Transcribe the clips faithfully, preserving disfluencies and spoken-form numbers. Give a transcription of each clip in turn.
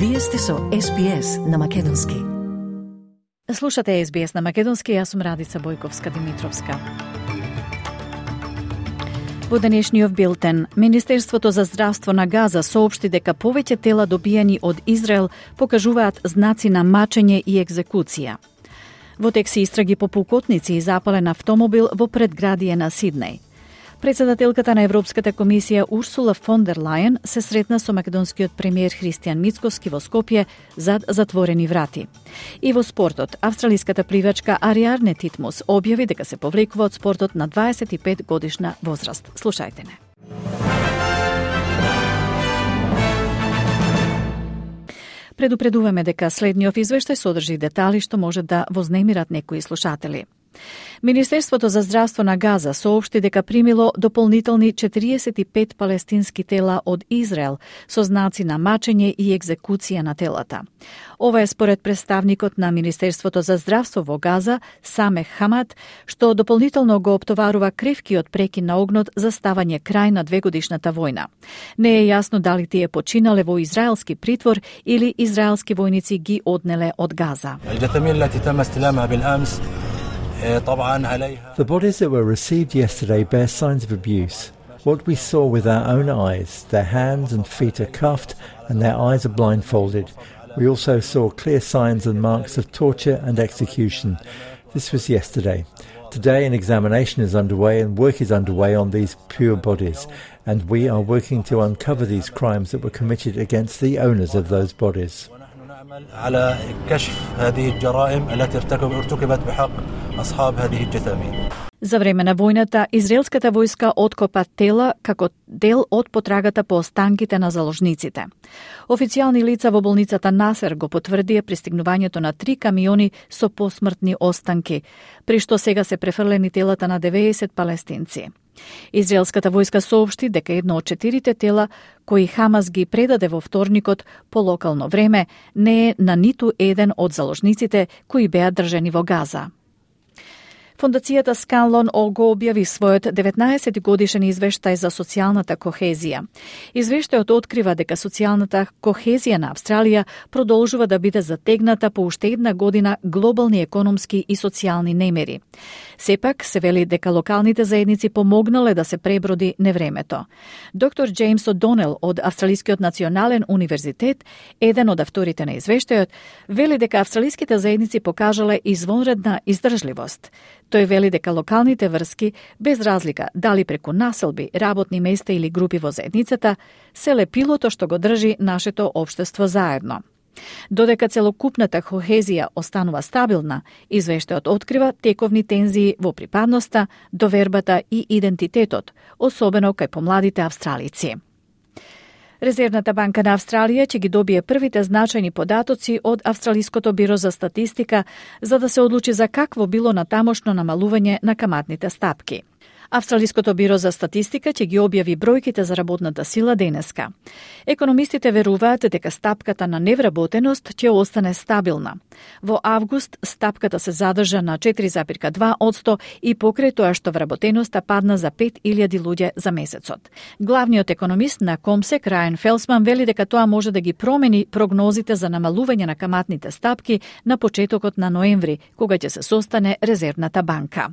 Вие сте со Ес Би Ес на македонски. Слушате Ес Би Ес на македонски, јас сум Радица Бојковска-Димитровска. Во денешниот билтен, Министерството за здравство на Газа соопшти дека повеќе тела добиени од Израел покажуваат знаци на мачење и екзекуција. Во тек се истраги по пукотници и запален автомобил во предградие на Сиднеј. Председателката на Европската комисија Урсула фон дер Лајен се сретна со македонскиот премиер Христијан Мицкоски во Скопје зад затворени врати. И во спортот, австралиската пливачка Ариарне Титмус објави дека се повлекува од спортот на дваесет и пет годишна возраст. Слушајте не. Предупредуваме дека следниот извештај содржи детали што може да вознемират некои слушатели. Министерството за здравство на Газа соопшти дека примило дополнителни четириесет и пет палестински тела од Израел со знаци на мачење и екзекуција на телата. Ова е според представникот на Министерството за здравство во Газа, Самех Хамад, што дополнително го оптоварува кревкиот прекин на огнот за ставање крај на двегодишната војна. Не е јасно дали тие починале во израелски притвор или израелски војници ги однеле од Газа. The bodies that were received yesterday bear signs of abuse. What we saw with our own eyes, their hands and feet are cuffed and their eyes are blindfolded. We also saw clear signs and marks of torture and execution. This was yesterday. Today an examination is underway and work is underway on these pure bodies, and we are working to uncover these crimes that were committed against the owners of those bodies. على كشف هذه الجرائم التي ارتكبت بحق أصحاب هذه الجثامين. За време на војната, израелската војска откопа тела како дел од потрагата по останките на заложниците. Официјални лица во болницата Насер го потврдија пристигнувањето на три камиони со посмртни останки, при што сега се префрлени телата на деветдесет палестинци. Израелската војска соопшти дека едно од четирите тела кои Хамас ги предаде во вторникот по локално време не е на ниту еден од заложниците кои беа држани во Газа. Фондацијата Сканлон го објави својот деветнаесет годишен извештај за социјалната кохезија. Извештајот открива дека социјалната кохезија на Австралија продолжува да биде затегната по уште една година глобални економски и социјални немери. Сепак се вели дека локалните заедници помогнале да се преброди невремето. Доктор Джеймс О'Донел од Австралискиот национален универзитет, еден од авторите на извештајот, вели дека австралиските заедници покажале извонредна издржливост. Тој вели дека локалните врски, без разлика дали преку населби, работни места или групи во заедницата, се лепилото што го држи нашето општество заедно. Додека целокупната кохезија останува стабилна, извештајот открива тековни тензии во припадноста, довербата и идентитетот, особено кај помладите австралици. Резервната банка на Австралија ќе ги добие првите значајни податоци од Австралиското биро за статистика за да се одлучи за какво било натамошно намалување на каматните стапки. Австралиското биро за статистика ќе ги објави бројките за работната сила денеска. Економистите веруваат дека стапката на невработеност ќе остане стабилна. Во август стапката се задржа на четири зарез два одсто и покрај тоа што вработеноста падна за пет илјади луѓе за месецот. Главниот економист на Комсек, Рајан Фелсман, вели дека тоа може да ги промени прогнозите за намалување на каматните стапки на почетокот на ноември, кога ќе се состане Резервната банка.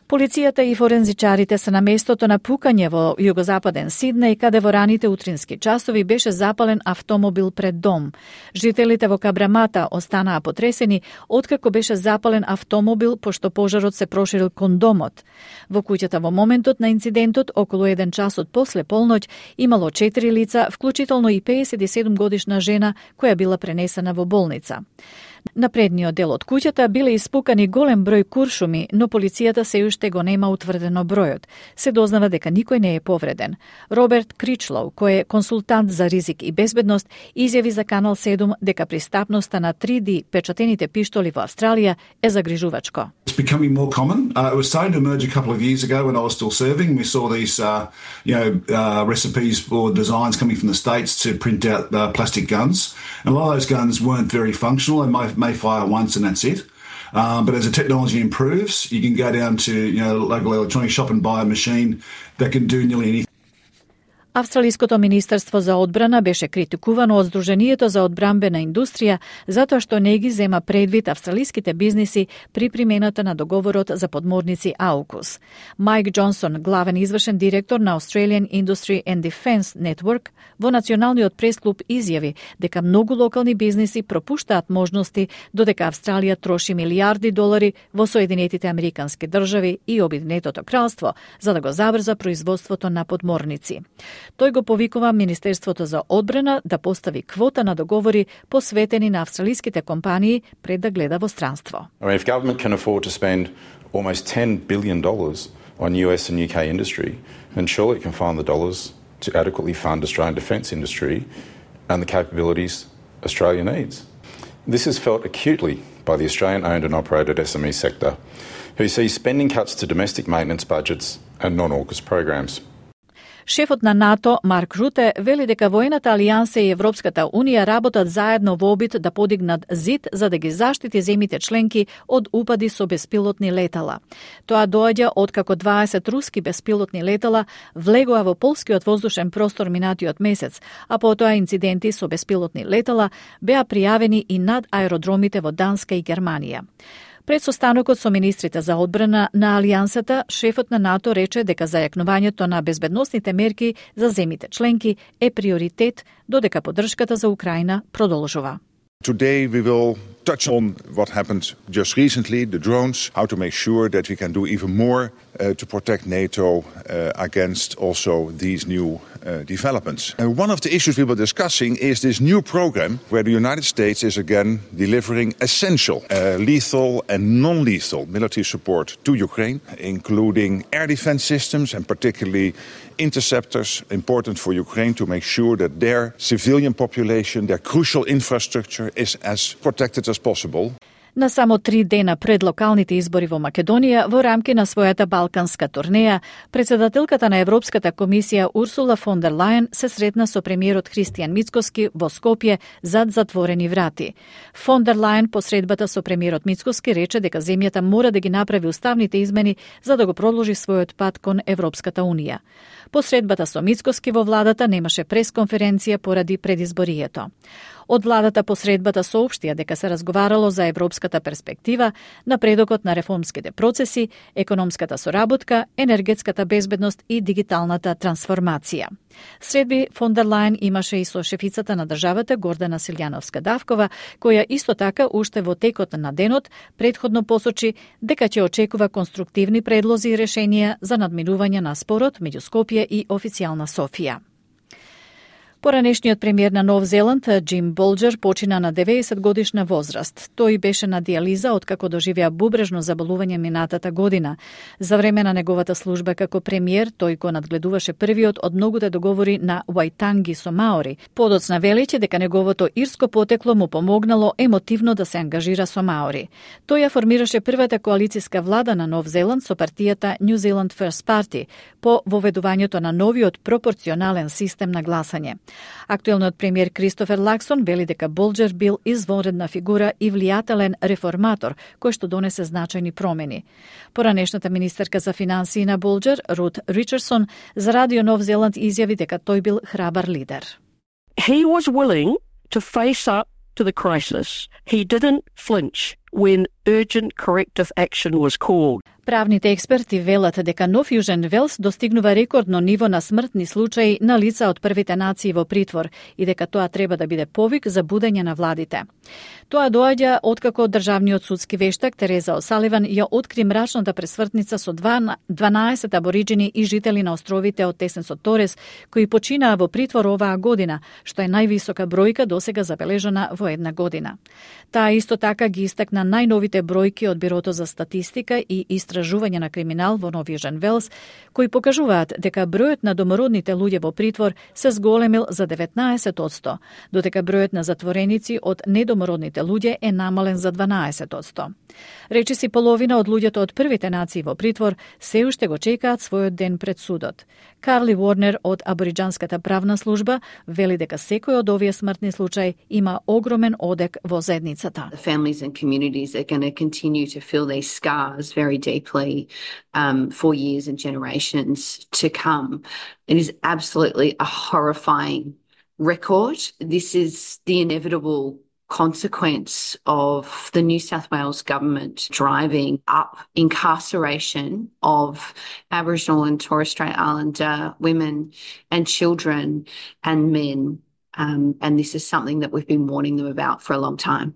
Полицијата и форензичарите се на местото на пукање во југозападен Сиднеј, каде во раните утрински часови беше запален автомобил пред дом. Жителите во Кабрамата останаа потресени откако беше запален автомобил, пошто пожарот се проширил кон домот. Во куќата во моментот на инцидентот, околу еден часот после полноќ, имало четири лица, вклучително и пеесет и седум годишна жена која била пренесена во болница. На предниот дел од куќата биле испукани голем број куршуми, но полицијата се уште го нема утврдено бројот. Се дознава дека никој не е повреден. Роберт Кричлоу, кој е консултант за ризик и безбедност, изјави за Канал седум дека пристапноста на три Ди печатените пиштоли во Австралија е загрижувачко. It's becoming more common. Uh, it was starting to emerge a couple of years ago when I was still serving. We saw these, uh, you know, uh, recipes or designs coming from the States to print out uh, plastic guns. And a lot of those guns weren't very functional and may, may fire once and that's it. Um, but as the technology improves, you can go down to, you know, local electronics shop and buy a machine that can do nearly anything. Австралиското министерство за одбрана беше критикувано од Сдруженијето за одбранбена индустрија затоа што не ги зема предвид австралиските бизниси при примената на договорот за подморници AUKUS. Майк Џонсон, главен извршен директор на Australian Industry and Defence Network, во националниот пресклуб изјави дека многу локални бизниси пропуштаат можности додека Австралија троши милијарди долари во Соединетите Американски држави и Обединетото кралство за да го забрза производството на подморници. Тој го повикува Министерството за одбрана да постави квота на договори посветени на австралиските компании пред да гледа во странство. I mean, if government can afford to spend almost ten billion dollars on U S and U K industry, then surely it can find the dollars to adequately fund Australian defence industry and the capabilities Australia needs. This is felt acutely by the Australian-owned and operated S M E sector, who see spending cuts to domestic maintenance budgets and non-AUKUS programs. Шефот на НАТО, Марк Руте, вели дека воената алијанса и Европската унија работат заедно во обид да подигнат зид за да ги заштити земите членки од упади со беспилотни летала. Тоа доаѓа откако дваесет руски беспилотни летала влегоа во полскиот воздушен простор минатиот месец, а потоа инциденти со беспилотни летала беа пријавени и над аеродромите во Данска и Германија. Пред состанокот со министрите за одбрана на Алијансата, шефот на НАТО рече дека зајакнувањето на безбедносните мерки за земите членки е приоритет, додека поддршката за Украина продолжува. Today we will touch on what happened just recently, the drones, how to make sure that we can do even more uh, to protect NATO uh, against also these new uh, developments. And one of the issues we were discussing is this new program where the United States is again delivering essential, uh, lethal and non-lethal military support to Ukraine, including air defense systems and particularly interceptors, important for Ukraine to make sure that their civilian population, their crucial infrastructure is as protected as possible. На само три дена пред локалните избори во Македонија, во рамки на својата балканска турнеја, председателката на Европската комисија Урсула фон дер Лајен се сретна со премиерот Христијан Мицкоски во Скопје зад затворени врати. Фон дер Лајен по средбата со премиерот Мицкоски рече дека земјата мора да ги направи уставните измени за да го продолжи својот пат кон Европската унија. По средбата со Мицкоски во владата немаше пресконференција поради предизборието. Од владата по средбата соопштија дека се разговарало за европската перспектива, напредокот на реформските процеси, економската соработка, енергетската безбедност и дигиталната трансформација. Средби фон дер Лајен имаше и со шефицата на државата Гордана Силјановска-Давкова, која исто така уште во текот на денот претходно посочи дека ќе очекува конструктивни предлози и решенија за надминување на спорот меѓу Скопје и официјална Софија. Поранешниот премиер на Нов Зеланд, Џим Болџер, почина на деветдесет годишна возраст. Тој беше на дијализа откако доживеа бубрежно заболување минатата година. За време на неговата служба како премиер, тој го надгледуваше првиот од многуте договори на Вајтанги со Маори. Подоцна величе дека неговото ирско потекло му помогнало емотивно да се ангажира со Маори. Тој ја формираше првата коалициска влада на Нов Зеланд со партијата New Zealand First Party по воведувањето на новиот пропорционален систем на гласање. Актуелниот премиер Кристофер Лаксон вели дека Болџер бил извонредна фигура и влијателен реформатор кој што донесе значајни промени. Поранешната министерка за финансии на Болџер, Рут Ричардсон, за Радио Нов Зеланд изјави дека тој бил храбар лидер. He was willing to face up to the crisis. He didn't flinch when urgent corrective action was called. Правните експерти велат дека Нов Јужен Велс достигнува рекордно ниво на смртни случаи на лица од првите нации во притвор и дека тоа треба да биде повик за будење на владите. Тоа доаѓа откако државниот судски вештак Тереза Осаливан ја откри мрачната пресвртница со дванаесет абориџини и жители на островите од Тесен-со Торес кои починаа во притвор оваа година, што е највисока бројка досега забележана во една година. Таа исто така ги истакна најновите бројки од Бирото за статистика и истражување на криминал во Нов Јужен Велс, кои покажуваат дека бројот на домородните луѓе во притвор се зголемил за деветнаесет одсто, додека бројот на затвореници од недомородните луѓе е намален за дванаесет одсто. Речиси половина од луѓето од првите нации во притвор се уште го чекаат својот ден пред судот. Карли Уорнер од Абориџанската правна служба вели дека секој од овие смртни случаи има огромен одек во заедницата. The families and community communities are going to continue to feel these scars very deeply um, for years and generations to come. It is absolutely a horrifying record. This is the inevitable consequence of the New South Wales government driving up incarceration of Aboriginal and Torres Strait Islander women and children and men. Um, and this is something that we've been warning them about for a long time.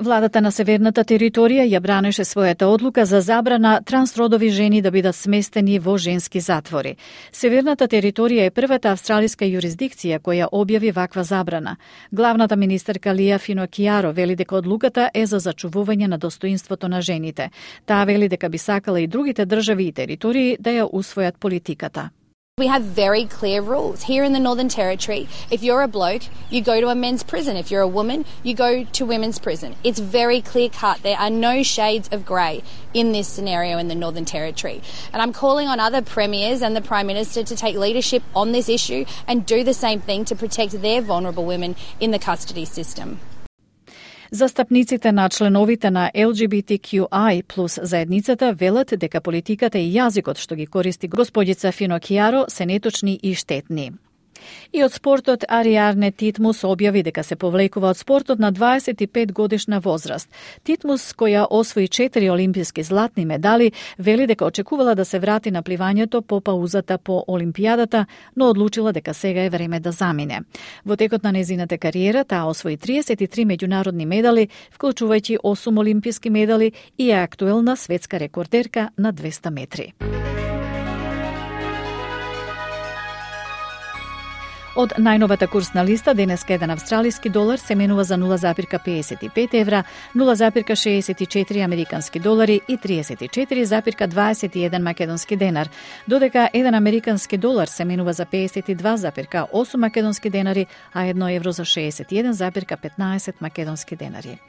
Владата на Северната територија ја бранеше својата одлука за забрана трансродови жени да бидат сместени во женски затвори. Северната територија е првата австралиска юрисдикција која објави ваква забрана. Главната министерка Лија Финокијаро вели дека одлуката е за зачувување на достоинството на жените. Таа вели дека би сакала и другите држави и територии да ја усвојат политиката. We have very clear rules. Here in the Northern Territory, if you're a bloke, you go to a men's prison. If you're a woman, you go to women's prison. It's very clear cut. There are no shades of grey in this scenario in the Northern Territory. And I'm calling on other premiers and the Prime Minister to take leadership on this issue and do the same thing to protect their vulnerable women in the custody system. Застапниците на членовите на Ел Џи Би Ти Кју Ај плюс заедницата велат дека политиката и јазикот што ги користи господица Финокијаро се неточни и штетни. И од спортот Ариарне Титмус објави дека се повлекува од спортот на дваесет и пет годишна возраст. Титмус, која освои четири олимписки златни медали, вели дека очекувала да се врати на пливањето по паузата по Олимпијадата, но одлучила дека сега е време да замине. Во текот на незината кариера таа освои триесет и три меѓународни медали, вклучувајќи осум олимписки медали и е актуелна светска рекордерка на двеста метри. Од најновата курсна листа, денеска еден австралиски долар се менува за нула запирка педесет и пет евра, нула запирка шеесет и четири американски долари и триесет и четири запирка дваесет и еден македонски денар, додека еден американски долар се менува за педесет и два запирка осум македонски денари, а едно евро за шеесет и еден запирка петнаесет македонски денари.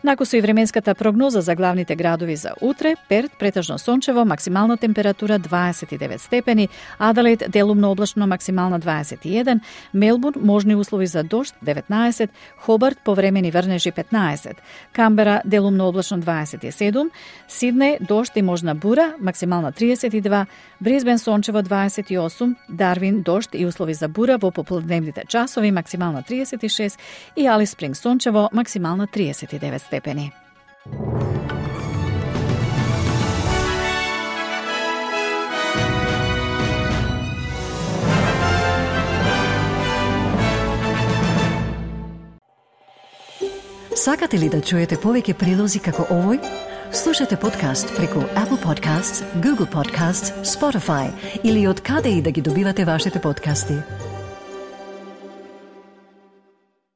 Накусо и временската прогноза за главните градови за утре: Перт претежно сончево, максимална температура дваесет и девет степени, Аделаид делумно облачно, максимална дваесет и еден, Мелбурн можни услови за дожд деветнаесет, Хобарт повремени врнежи петнаесет, Камбера делумно облачно дваесет и седум, Сиднеј дожд и можна бура, максимална триесет и два, Брисбен сончево дваесет и осум, Дарвин дожд и услови за бура во попладневните часови, максимална триесет и шест и Алис Спринг сончево, максимална триесет и девет степени. Сакате ли да чуете повеќе прилози како овој? Слушате подкаст преку Apple Podcasts, Google Podcasts, Spotify или од каде и да ги добивате вашите подкасти.